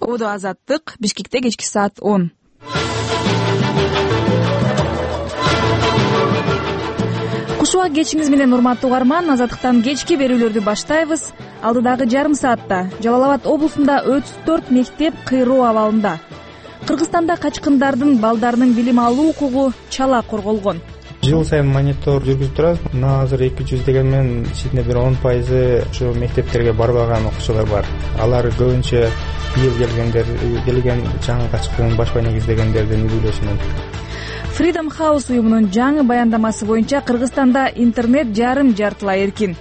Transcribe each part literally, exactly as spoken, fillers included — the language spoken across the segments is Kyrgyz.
Ободо Азаттык, Бишкекте кечки саат он. Кушубак кечиңиз менен урматтуу угарман, Азаттыктан кечки берүүлөрдү баштайбыз. Алдыдагы жарым саатта Жалал Абад облусунда отуз төрт мектеп кыйроо абалында. Кыргызстанда качкындардын балдарынын билим алуу укугу чала корголгон. Жыл сайын монитор жүргүзүп турабыз. Мына азыр эки жүз дегенмен ичинде бир он пайызы ушу мектептерге барбаган окуучулар бар. Алар көбүнчө быйыл келгендер, келген жаңы качкын башка негиздегендердин үйлөшүнөн. Freedom House уюмунун жаңы баяндамасы боюнча Кыргызстанда интернет жарым жартылай эркин.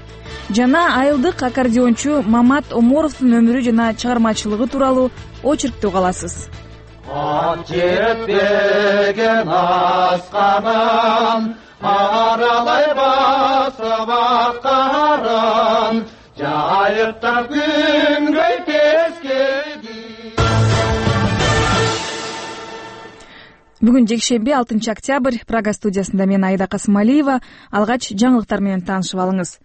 Жана айылдык аккордеончу Мамат Оморовдун өмүрү жана чыгармачылыгы тууралуу очеркти угаласыз. Ат жетпеген асканын аралай басып аткарын жайыктап күнгөй тескеди. Бүгүн жекшемби алтынчы октябрь, Прага студиясында мен Айда Касымалиева. Алгач жаңылыктар менен таанышып алыңыз.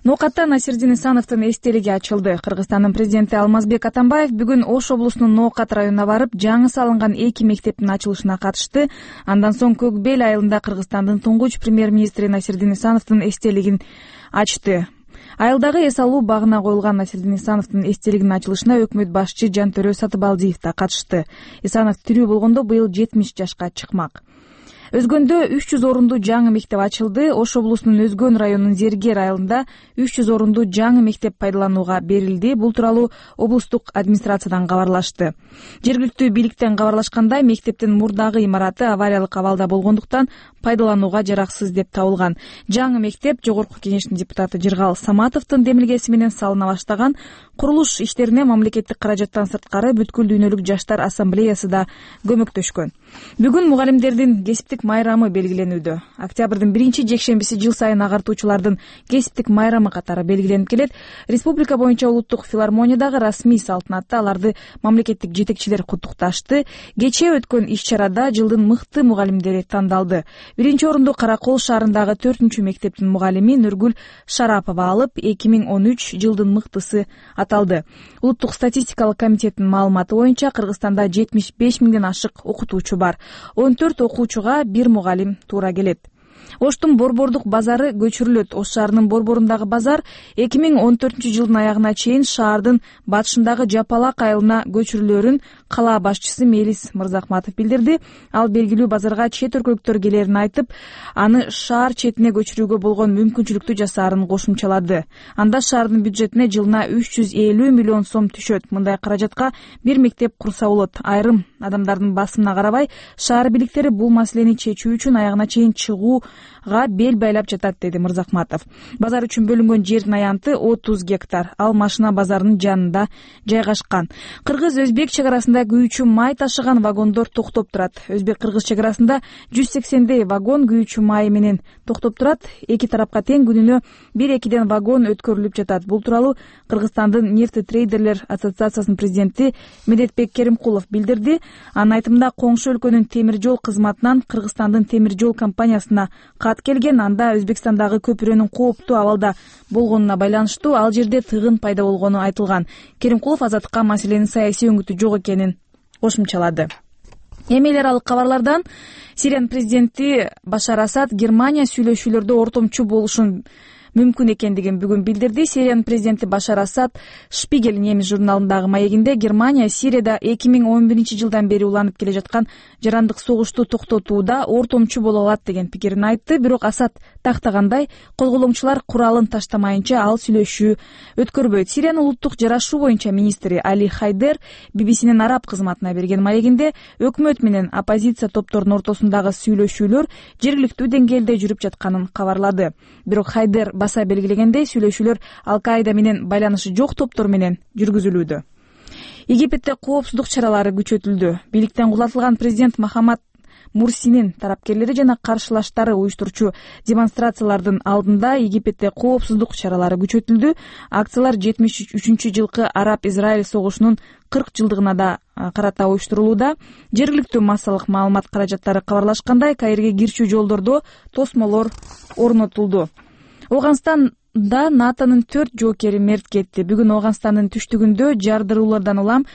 Ноокатта Насирдин Исановдун эстелиги ачылды. Кыргызстандын президенти Алмазбек Атамбаев бүгүн Ош облусунун Ноокат районуна барып, жаңы салынган эки мектептин ачылышына катышты. Андан соң Көк Бел айылында Кыргызстандын туңгуч премьер-министри Насирдин Исановдун эстелигин ачты. Айылдагы эс алуу багына коюлган Насирдин Исановдун эстелигинин ачылышына өкмөт башчы Жантөрө Сатыбалдиев да катышты. Исанов тирүү болгондо быйыл жетимиш жашка чыкмак. Өзгөндө үч жүз орунду жаңы мектеп ачылды. Ош облусунун Өзгөн районунун Зергер айылында үч жүз орунду жаңы мектеп пайдаланууга берилди. Бул тууралуу облустук администрациядан кабарлашты. Жергиликтүү бийликтен кабарлашкандай, мектептин мурдагы имараты авариялык абалда болгондуктан пайдаланууга жараксыз деп табылган. Жаңы мектеп Жогорку Кеңештин депутаты Жыргал Саматовдун демилгеси менен салына баштаган. Курулуш иштерине мамлекеттик каражаттан сырткары бүткүл дүйнөлүк жаштар ассамблеясы да көмөктөшкөн. Бүгүн мугалимдердин кесиптик майрамы белгиленүүдө. Октябрдын биринчи жекшембиси жыл сайын агартуучулардын кесиптик майрамы катары белгиленип келет. Республика боюнча улуттук филармониядагы расмий салтанатта аларды мамлекеттик жетекчилер куттукташты. Кечээ өткөн иш-чарада жылдын мыкты мугалимдери тандалды. Биринчи орунду Каракол шаарындагы төртүнчү мектептин мугалими Нургүл Шарапова алып, эки миң он үч жылдын мыктысы аталды. Улуттук статистикалык комитеттин маалыматы боюнча Кыргызстанда жетимиш беш миңден ашык окутуучу бар. он төрт окуучуга бир мугалим туура келет. Оштун Борбордук базары көчүрүлөт. Ош шаарынын Борборундагы базар эки миң он төртүнчү жылдын аягына чейин шаардын батышындагы Жапалак айылына көчүрүлөрүн кала башчысы Мелис Мырзахматов билдирди. Ал белгилүү базарга чет өлкөлүктөр келерин айтып, аны шаар четине көчүрүүгө болгон мүмкүнчүлүктү жасаарын кошумчалады. Анда шаардын бюджетине жылына үч жүз элүү миллион сом түшөт. Мындай каражатка бир мектеп курса болот. Айрым адамдардын басымына карабай, шаар бийликтери бул маселени чечүү үчүн аягына чейин чыгууга бел байлап жатат, деди Мырзахматов. Базар үчүн бөлүнгөн жердин аянты отуз гектар. Ал машина базарынын жанында жайгашкан. Кыргыз-өзбек чек арасында күйүүчү май ташыган вагондор токтоп турат. Өзбек-кыргыз чек арасында жүз сексендей вагон күйүүчү май менен токтоп турат. Эки тарапка тең күнүнө бир-экиден вагон өткөрүлүп жатат. Бул тууралуу Кыргызстандын нефтетрейдерлер ассоциациясынын президенти Медетбек Керимкулов билдирди. Анын айтымында, коңшу өлкөнүн темир жол кызматынан Кыргызстандын темир жол компаниясына кат келген. Анда Өзбекстандагы көпүрөнүн кооптуу абалда болгонуна байланыштуу ал жерде тыгын пайда болгону айтылган. Керимкулов Азаттыкка маселенин саясий өңүтү жок экенин кошумчалады. Эми эл аралык кабарлардан Сириянын президенти Башар Асад Германия сүйлөшүүлөрдө ортомчу болушун мүмкүн экендигин бүгүн билдирди. Сириянын президенти Башар Асад Шпигель немис журналындагы маегинде Германия Сирияда эки миң он биринчи жылдан бери уланып келе жаткан жарандык согушту токтотууда ортомчу боло алат деген пикирин айтты. Бирок Асад тактагандай, козголоңчулар куралын таштамайынча ал сүйлөшүү өткөрбөйт. Сириянын улуттук жарашуу боюнча министри Али Хайдер би би синин араб кызматына берген маегинде өкмөт менен оппозиция топторунун ортосундагы сүйлөшүүлөр жергиликтүү деңгээлде жүрүп жатканын кабарлады. Бирок Хайдер баса белгилегендей, сүйлөшүүлөр Ал-Каида менен байланышы жок топтор менен жүргүзүлүүдө. Египетте коопсуздук чаралары күчөтүлдү. Бийликтен кулатылган президент Махамад Мурсинин тарапкерлери жана каршылаштары уюштурчу демонстрациялардын алдында Египетте коопсуздук чаралары күчөтүлдү. Акциялар жетимиш үчүнчү жылкы Араб-Израиль согушунун кырк жылдыгына да карата уюштурулууда. Жергиликтүү массалык маалымат каражаттары кабарлашкандай, Каирге кирчүү жолдордо тосмолор орнотулду. Оганстанда НАТОнун төрт жоокери мерт кетти. Бүгүн Оганстандын түштүгүндө жардыруулардан улам